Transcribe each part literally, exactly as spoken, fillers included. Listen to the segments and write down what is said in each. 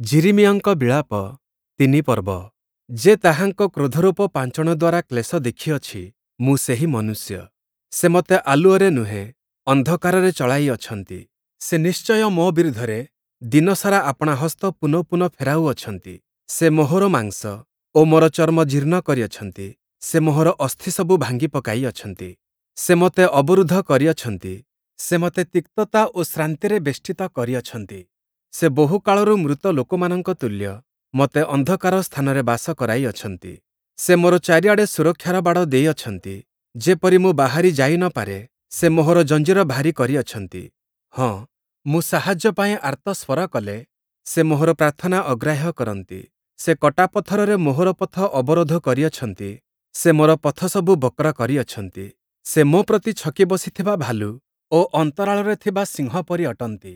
ଯିରିମିୟଙ୍କ ବିଳାପ ତିନି ପର୍ବ। ଯେ ତାହାଙ୍କ କ୍ରୋଧରୂପ ପାଞ୍ଚଣ ଦ୍ଵାରା କ୍ଲେଶ ଦେଖିଅଛି, ମୁଁ ସେହି ମନୁଷ୍ୟ। ସେ ମୋତେ ଆଲୁଅରେ ନୁହେଁ, ଅନ୍ଧକାରରେ ଚଳାଇ ଅଛନ୍ତି। ସେ ନିଶ୍ଚୟ ମୋ ବିରୁଦ୍ଧରେ ଦିନସାରା ଆପଣା ହସ୍ତ ପୁନଃ ପୁନଃ ଫେରାଉଅଛନ୍ତି। ସେ ମୋହର ମାଂସ ଓ ମୋର ଚର୍ମ ଜୀର୍ଣ୍ଣ କରିଅଛନ୍ତି, ସେ ମୋହର ଅସ୍ଥିସବୁ ଭାଙ୍ଗି ପକାଇ ଅଛନ୍ତି। ସେ ମୋତେ ଅବରୁଦ୍ଧ କରିଅଛନ୍ତି, ସେ ମୋତେ ତିକ୍ତତା ଓ ଶ୍ରାନ୍ତିରେ ବେଷ୍ଟିତ କରିଅଛନ୍ତି। ସେ ବହୁକାଳରୁ ମୃତ ଲୋକମାନଙ୍କ ତୁଲ୍ୟ ମୋତେ ଅନ୍ଧକାର ସ୍ଥାନରେ ବାସ କରାଇଅଛନ୍ତି। ସେ ମୋର ଚାରିଆଡ଼େ ସୁରକ୍ଷାର ବାଡ଼ ଦେଇଅଛନ୍ତି, ଯେପରି ମୁଁ ବାହାରି ଯାଇ ନ ପାରେ। ସେ ମୋହର ଜଞ୍ଜିର ଭାରୀ କରିଅଛନ୍ତି। ହଁ, ମୁଁ ସାହାଯ୍ୟ ପାଇଁ ଆର୍ତ୍ତସ୍ୱର କଲେ, ସେ ମୋହର ପ୍ରାର୍ଥନା ଅଗ୍ରାହ୍ୟ କରନ୍ତି। ସେ କଟାପଥରରେ ମୋହର ପଥ ଅବରୋଧ କରିଅଛନ୍ତି, ସେ ମୋର ପଥସବୁ ବକ୍ର କରିଅଛନ୍ତି। ସେ ମୋ ପ୍ରତି ଛକି ବସିଥିବା ଭାଲୁ ଓ ଅନ୍ତରାଳରେ ଥିବା ସିଂହ ପରି ଅଟନ୍ତି।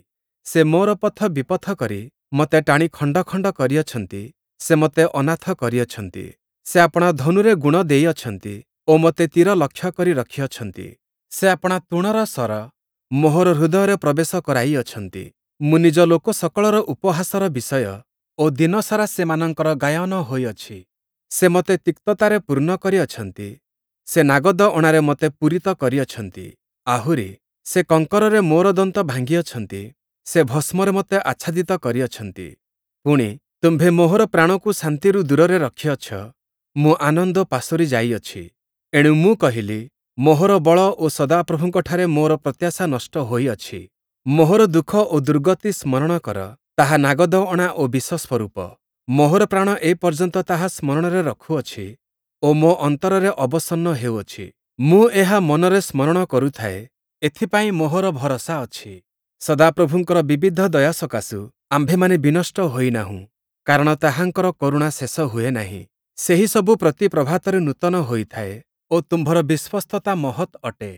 ସେ ମୋର ପଥ ବିପଥ କରି ମୋତେ ଟାଣି ଖଣ୍ଡ ଖଣ୍ଡ କରିଅଛନ୍ତି, ସେ ମୋତେ ଅନାଥ କରିଅଛନ୍ତି। ସେ ଆପଣା ଧନୁରେ ଗୁଣ ଦେଇଅଛନ୍ତି ଓ ମୋତେ ତୀର ଲକ୍ଷ୍ୟ କରି ରଖିଅଛନ୍ତି। ସେ ଆପଣା ତୂଣର ଶର ମୋହର ହୃଦୟରେ ପ୍ରବେଶ କରାଇଅଛନ୍ତି। ମୁଁ ନିଜ ଲୋକ ସକଳର ଉପହାସର ବିଷୟ ଓ ଦିନସାରା ସେମାନଙ୍କର ଗାୟନ ହୋଇଅଛି। ସେ ମୋତେ ତିକ୍ତତାରେ ପୂର୍ଣ୍ଣ କରିଅଛନ୍ତି, ସେ ନାଗଦ ଅଣାରେ ମୋତେ ପୂରିତ କରିଅଛନ୍ତି। ଆହୁରି, ସେ କଙ୍କରରେ ମୋର ଦନ୍ତ ଭାଙ୍ଗିଅଛନ୍ତି, ସେ ଭସ୍ମରେ ମୋତେ ଆଚ୍ଛାଦିତ କରିଅଛନ୍ତି। ପୁଣି, ତୁମ୍ଭେ ମୋହର ପ୍ରାଣକୁ ଶାନ୍ତିରୁ ଦୂରରେ ରଖିଅଛ, ମୁଁ ଆନନ୍ଦ ପାସୋରି ଯାଇଅଛି। ଏଣୁ ମୁଁ କହିଲି, ମୋହର ବଳ ଓ ସଦାପ୍ରଭୁଙ୍କଠାରେ ମୋର ପ୍ରତ୍ୟାଶା ନଷ୍ଟ ହୋଇଅଛି। ମୋହର ଦୁଃଖ ଓ ଦୁର୍ଗତି ସ୍ମରଣ କର, ତାହା ନାଗଦ ଅଣା ଓ ବିଷ ସ୍ୱରୂପ। ମୋହର ପ୍ରାଣ ଏପର୍ଯ୍ୟନ୍ତ ତାହା ସ୍ମରଣରେ ରଖୁଅଛି ଓ ମୋ ଅନ୍ତରରେ ଅବସନ୍ନ ହେଉଅଛି। ମୁଁ ଏହା ମନରେ ସ୍ମରଣ କରୁଥାଏ, ଏଥିପାଇଁ ମୋହର ଭରସା ଅଛି। ସଦାପ୍ରଭୁଙ୍କର ବିବିଧ ଦୟା ସକାଶୁ ଆମ୍ଭେମାନେ ବିନଷ୍ଟ ହୋଇନାହୁଁ, କାରଣ ତାହାଙ୍କର କରୁଣା ଶେଷ ହୁଏ ନାହିଁ। ସେହିସବୁ ପ୍ରତି ପ୍ରଭାତରେ ନୂତନ ହୋଇଥାଏ ଓ ତୁମ୍ଭର ବିଶ୍ୱସ୍ତତା ମହତ୍ ଅଟେ।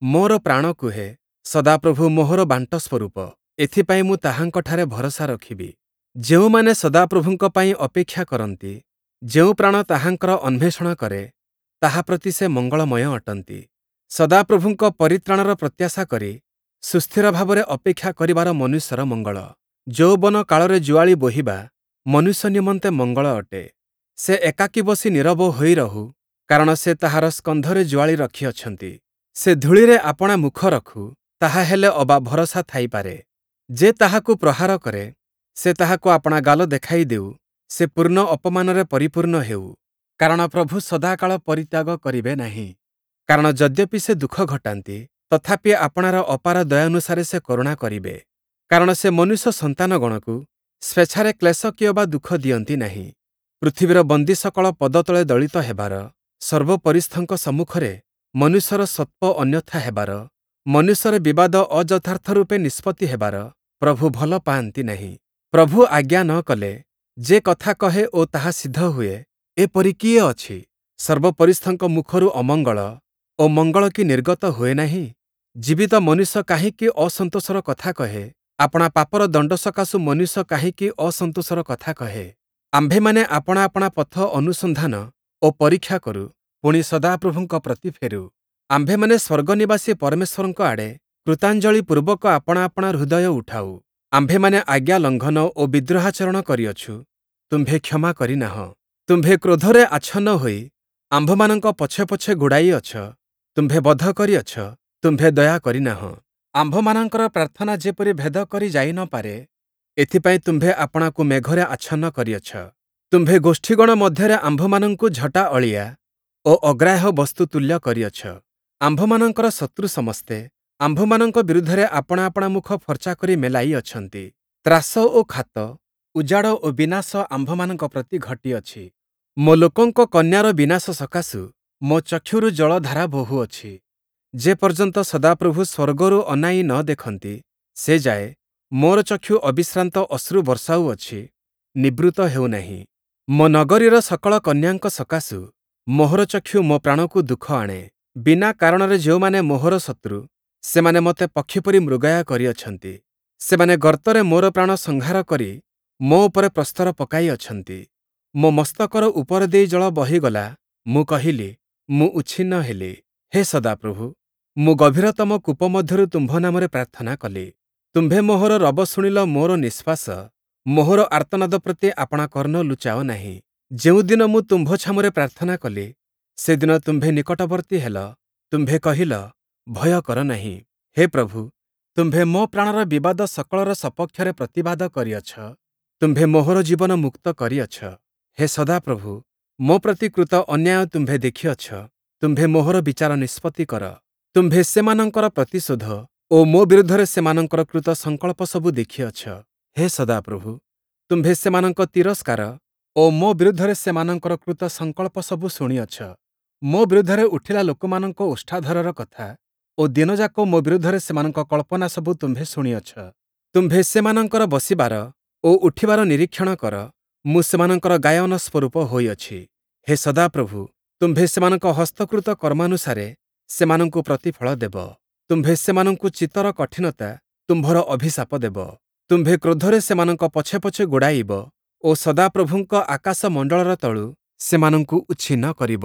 ମୋର ପ୍ରାଣ କୁହେ, ସଦାପ୍ରଭୁ ମୋହର ବାଣ୍ଟ ସ୍ୱରୂପ, ଏଥିପାଇଁ ମୁଁ ତାହାଙ୍କଠାରେ ଭରସା ରଖିବି। ଯେଉଁମାନେ ସଦାପ୍ରଭୁଙ୍କ ପାଇଁ ଅପେକ୍ଷା କରନ୍ତି, ଯେଉଁ ପ୍ରାଣ ତାହାଙ୍କର ଅନ୍ୱେଷଣ କରେ, ତାହା ପ୍ରତି ସେ ମଙ୍ଗଳମୟ ଅଟନ୍ତି। ସଦାପ୍ରଭୁଙ୍କ ପରିତ୍ରାଣର ପ୍ରତ୍ୟାଶା କରି ସୁସ୍ଥିର ଭାବରେ ଅପେକ୍ଷା କରିବାର ମନୁଷ୍ୟର ମଙ୍ଗଳ। ଯୌବନ କାଳରେ ଜୁଆଳି ବୋହିବା ମନୁଷ୍ୟ ନିମନ୍ତେ ମଙ୍ଗଳ ଅଟେ। ସେ ଏକାକୀ ବସି ନୀରବ ହୋଇ ରହୁ, କାରଣ ସେ ତାହାର ସ୍କନ୍ଧରେ ଜୁଆଳି ରଖିଅଛନ୍ତି। ସେ ଧୂଳିରେ ଆପଣା ମୁଖ ରଖୁ, ତାହା ହେଲେ ଅବା ଭରସା ଥାଇପାରେ। ଯେ ତାହାକୁ ପ୍ରହାର କରେ, ସେ ତାହାକୁ ଆପଣା ଗାଲ ଦେଖାଇ ଦେଉ, ସେ ପୂର୍ଣ୍ଣ ଅପମାନରେ ପରିପୂର୍ଣ୍ଣ ହେଉ। କାରଣ ପ୍ରଭୁ ସଦାକାଳ ପରିତ୍ୟାଗ କରିବେ ନାହିଁ। କାରଣ ଯଦ୍ୟପି ସେ ଦୁଃଖ ଘଟାନ୍ତି, ତଥାପି ଆପଣାର ଅପାର ଦୟାନୁସାରେ ସେ କରୁଣା କରିବେ। କାରଣ ସେ ମନୁଷ୍ୟ ସନ୍ତାନଗଣକୁ ସ୍ୱେଚ୍ଛାରେ କ୍ଲେଶ କିଅବା ଦୁଃଖ ଦିଅନ୍ତି ନାହିଁ। ପୃଥିବୀର ବନ୍ଦୀ ସକଳ ପଦତଳେ ଦଳିତ ହେବାର, ସର୍ବୋପରିସ୍ଥଙ୍କ ସମ୍ମୁଖରେ ମନୁଷ୍ୟର ସତ୍ତ୍ୱ ଅନ୍ୟଥା ହେବାର, ମନୁଷ୍ୟର ବିବାଦ ଅଯଥାର୍ଥ ରୂପେ ନିଷ୍ପତ୍ତି ହେବାର ପ୍ରଭୁ ଭଲ ପାଆନ୍ତି ନାହିଁ। ପ୍ରଭୁ ଆଜ୍ଞା ନ କଲେ ଯେ କଥା କହେ ଓ ତାହା ସିଦ୍ଧ ହୁଏ, ଏପରି କିଏ ଅଛି? ସର୍ବୋପରିସ୍ଥଙ୍କ ମୁଖରୁ ଅମଙ୍ଗଳ ଓ ମଙ୍ଗଳ କି ନିର୍ଗତ ହୁଏ ନାହିଁ? ଜୀବିତ ମନୁଷ୍ୟ କାହିଁକି ଅସନ୍ତୋଷର କଥା କହେ? ଆପଣା ପାପର ଦଣ୍ଡ ସକାଶୁ ମନୁଷ୍ୟ କାହିଁକି ଅସନ୍ତୋଷର କଥା କହେ? ଆମ୍ଭେମାନେ ଆପଣା ଆପଣା ପଥ ଅନୁସନ୍ଧାନ ଓ ପରୀକ୍ଷା କରୁ, ପୁଣି ସଦାପ୍ରଭୁଙ୍କ ପ୍ରତି ଫେରୁ। ଆମ୍ଭେମାନେ ସ୍ୱର୍ଗନିବାସୀ ପରମେଶ୍ୱରଙ୍କ ଆଡ଼େ କୃତାଞ୍ଜଳି ପୂର୍ବକ ଆପଣା ଆପଣା ହୃଦୟ ଉଠାଉ। ଆମ୍ଭେମାନେ ଆଜ୍ଞା ଲଙ୍ଘନ ଓ ବିଦ୍ରୋହାଚରଣ କରିଅଛୁ, ତୁମ୍ଭେ କ୍ଷମା କରିନାହଁ। ତୁମ୍ଭେ କ୍ରୋଧରେ ଆଚ୍ଛନ୍ନ ହୋଇ ଆମ୍ଭମାନଙ୍କ ପଛେ ପଛେ ଗୋଡ଼ାଇଅଛ, ତୁମ୍ଭେ ବଧ କରିଅଛ, ତୁମ୍ଭେ ଦୟା କରିନାହଁ। ଆମ୍ଭମାନଙ୍କର ପ୍ରାର୍ଥନା ଯେପରି ଭେଦ କରି ଯାଇ ନ ପାରେ, ଏଥିପାଇଁ ତୁମ୍ଭେ ଆପଣାକୁ ମେଘରେ ଆଚ୍ଛନ୍ନ କରିଅଛ। ତୁମ୍ଭେ ଗୋଷ୍ଠୀଗଣ ମଧ୍ୟରେ ଆମ୍ଭମାନଙ୍କୁ ଝଟା ଅଳିଆ ଓ ଅଗ୍ରାହ୍ୟ ବସ୍ତୁ ତୁଲ୍ୟ କରିଅଛ। ଆମ୍ଭମାନଙ୍କର ଶତ୍ରୁ ସମସ୍ତେ ଆମ୍ଭମାନଙ୍କ ବିରୁଦ୍ଧରେ ଆପଣା ଆପଣା ମୁଖ ଫର୍ଚ୍ଚା କରି ମେଲାଇ ଅଛନ୍ତି। ତ୍ରାସ ଓ ଖାତ, ଉଜାଡ଼ ଓ ବିନାଶ ଆମ୍ଭମାନଙ୍କ ପ୍ରତି ଘଟିଅଛି। ମୋ ଲୋକଙ୍କ କନ୍ୟାର ବିନାଶ ସକାଶୁ ମୋ ଚକ୍ଷୁରୁ ଜଳଧାରା ବୋହୁଅଛି। ଯେପର୍ଯ୍ୟନ୍ତ ସଦାପ୍ରଭୁ ସ୍ୱର୍ଗରୁ ଅନାଇ ନ ଦେଖନ୍ତି, ସେ ଯାଏ ମୋର ଚକ୍ଷୁ ଅବିଶ୍ରାନ୍ତ ଅଶ୍ରୁ ବର୍ଷାଉଅଛି, ନିବୃତ୍ତ ହେଉନାହିଁ। ମୋ ନଗରୀର ସକଳ କନ୍ୟାଙ୍କ ସକାଶୁ ମୋହର ଚକ୍ଷୁ ମୋ ପ୍ରାଣକୁ ଦୁଃଖ ଆଣେ। ବିନା କାରଣରେ ଯେଉଁମାନେ ମୋହର ଶତ୍ରୁ, ସେମାନେ ମୋତେ ପକ୍ଷୀ ପରି ମୃଗୟା କରିଅଛନ୍ତି। ସେମାନେ ଗର୍ତ୍ତରେ ମୋର ପ୍ରାଣ ସଂହାର କରି ମୋ ଉପରେ ପ୍ରସ୍ତର ପକାଇ ଅଛନ୍ତି। ମୋ ମସ୍ତକର ଉପର ଦେଇ ଜଳ ବହିଗଲା, ମୁଁ କହିଲି, ମୁଁ ଉଚ୍ଛିନ୍ନ ହେଲି। ହେ ସଦାପ୍ରଭୁ, ମୁଁ ଗଭୀରତମ କୂପ ମଧ୍ୟରୁ ତୁମ୍ଭ ନାମରେ ପ୍ରାର୍ଥନା କଲି। ତୁମ୍ଭେ ମୋହର ରବ ଶୁଣିଲ, ମୋର ନିଶ୍ୱାସ ମୋହର ଆର୍ତ୍ତନାଦ ପ୍ରତି ଆପଣା କର୍ଣ୍ଣ ଲୁଚାଅ ନାହିଁ। ଯେଉଁଦିନ ମୁଁ ତୁମ୍ଭ ଛାମୁରେ ପ୍ରାର୍ଥନା କଲି, ସେଦିନ ତୁମ୍ଭେ ନିକଟବର୍ତ୍ତୀ ହେଲ। ତୁମ୍ଭେ କହିଲ, ଭୟ କର ନାହିଁ। ହେ ପ୍ରଭୁ, ତୁମ୍ଭେ ମୋ ପ୍ରାଣର ବିବାଦ ସକଳର ସପକ୍ଷରେ ପ୍ରତିବାଦ କରିଅଛ। ତୁମ୍ଭେ ମୋହର ଜୀବନ ମୁକ୍ତ କରିଅଛ। ହେ ସଦାପ୍ରଭୁ, ମୋ ପ୍ରତି କୃତ ଅନ୍ୟାୟ ତୁମ୍ଭେ ଦେଖିଅଛ। ତୁମ୍ଭେ ମୋହର ବିଚାର ନିଷ୍ପତ୍ତି କର। ତୁମ୍ଭେ ସେମାନଙ୍କର ପ୍ରତିଶୋଧ ଓ ମୋ ବିରୁଦ୍ଧରେ ସେମାନଙ୍କର କୃତ ସଂକଳ୍ପ ସବୁ ଦେଖିଅଛ। ହେ ସଦାପ୍ରଭୁ, ତୁମ୍ଭେ ସେମାନଙ୍କ ତିରସ୍କାର ଓ ମୋ ବିରୁଦ୍ଧରେ ସେମାନଙ୍କର କୃତ ସଂକଳ୍ପ ସବୁ ଶୁଣିଅଛ। ମୋ ବିରୁଦ୍ଧରେ ଉଠିଲା ଲୋକମାନଙ୍କ ଓଷ୍ଠାଧରର କଥା ଓ ଦିନଯାକ ମୋ ବିରୁଦ୍ଧରେ ସେମାନଙ୍କ କଳ୍ପନା ସବୁ ତୁମ୍ଭେ ଶୁଣିଅଛ। ତୁମ୍ଭେ ସେମାନଙ୍କର ବସିବାର ଓ ଉଠିବାର ନିରୀକ୍ଷଣ କର। ମୁଁ ସେମାନଙ୍କର ଗାୟନ ସ୍ୱରୂପ ହୋଇଅଛି। ହେ ସଦାପ୍ରଭୁ, ତୁମ୍ଭେ ସେମାନଙ୍କ ହସ୍ତକୃତ କର୍ମାନୁସାରେ ସେମାନଙ୍କୁ ପ୍ରତିଫଳ ଦେବ। ତୁମ୍ଭେ ସେମାନଙ୍କୁ ଚିତ୍ତର କଠିନତା ତୁମ୍ଭର ଅଭିଶାପ ଦେବ। ତୁମ୍ଭେ କ୍ରୋଧରେ ସେମାନଙ୍କ ପଛେ ପଛେ ଗୋଡ଼ାଇବ ଓ ସଦାପ୍ରଭୁଙ୍କ ଆକାଶମଣ୍ଡଳର ତଳୁ ସେମାନଙ୍କୁ ଉଚ୍ଛିନ୍ନ କରିବ।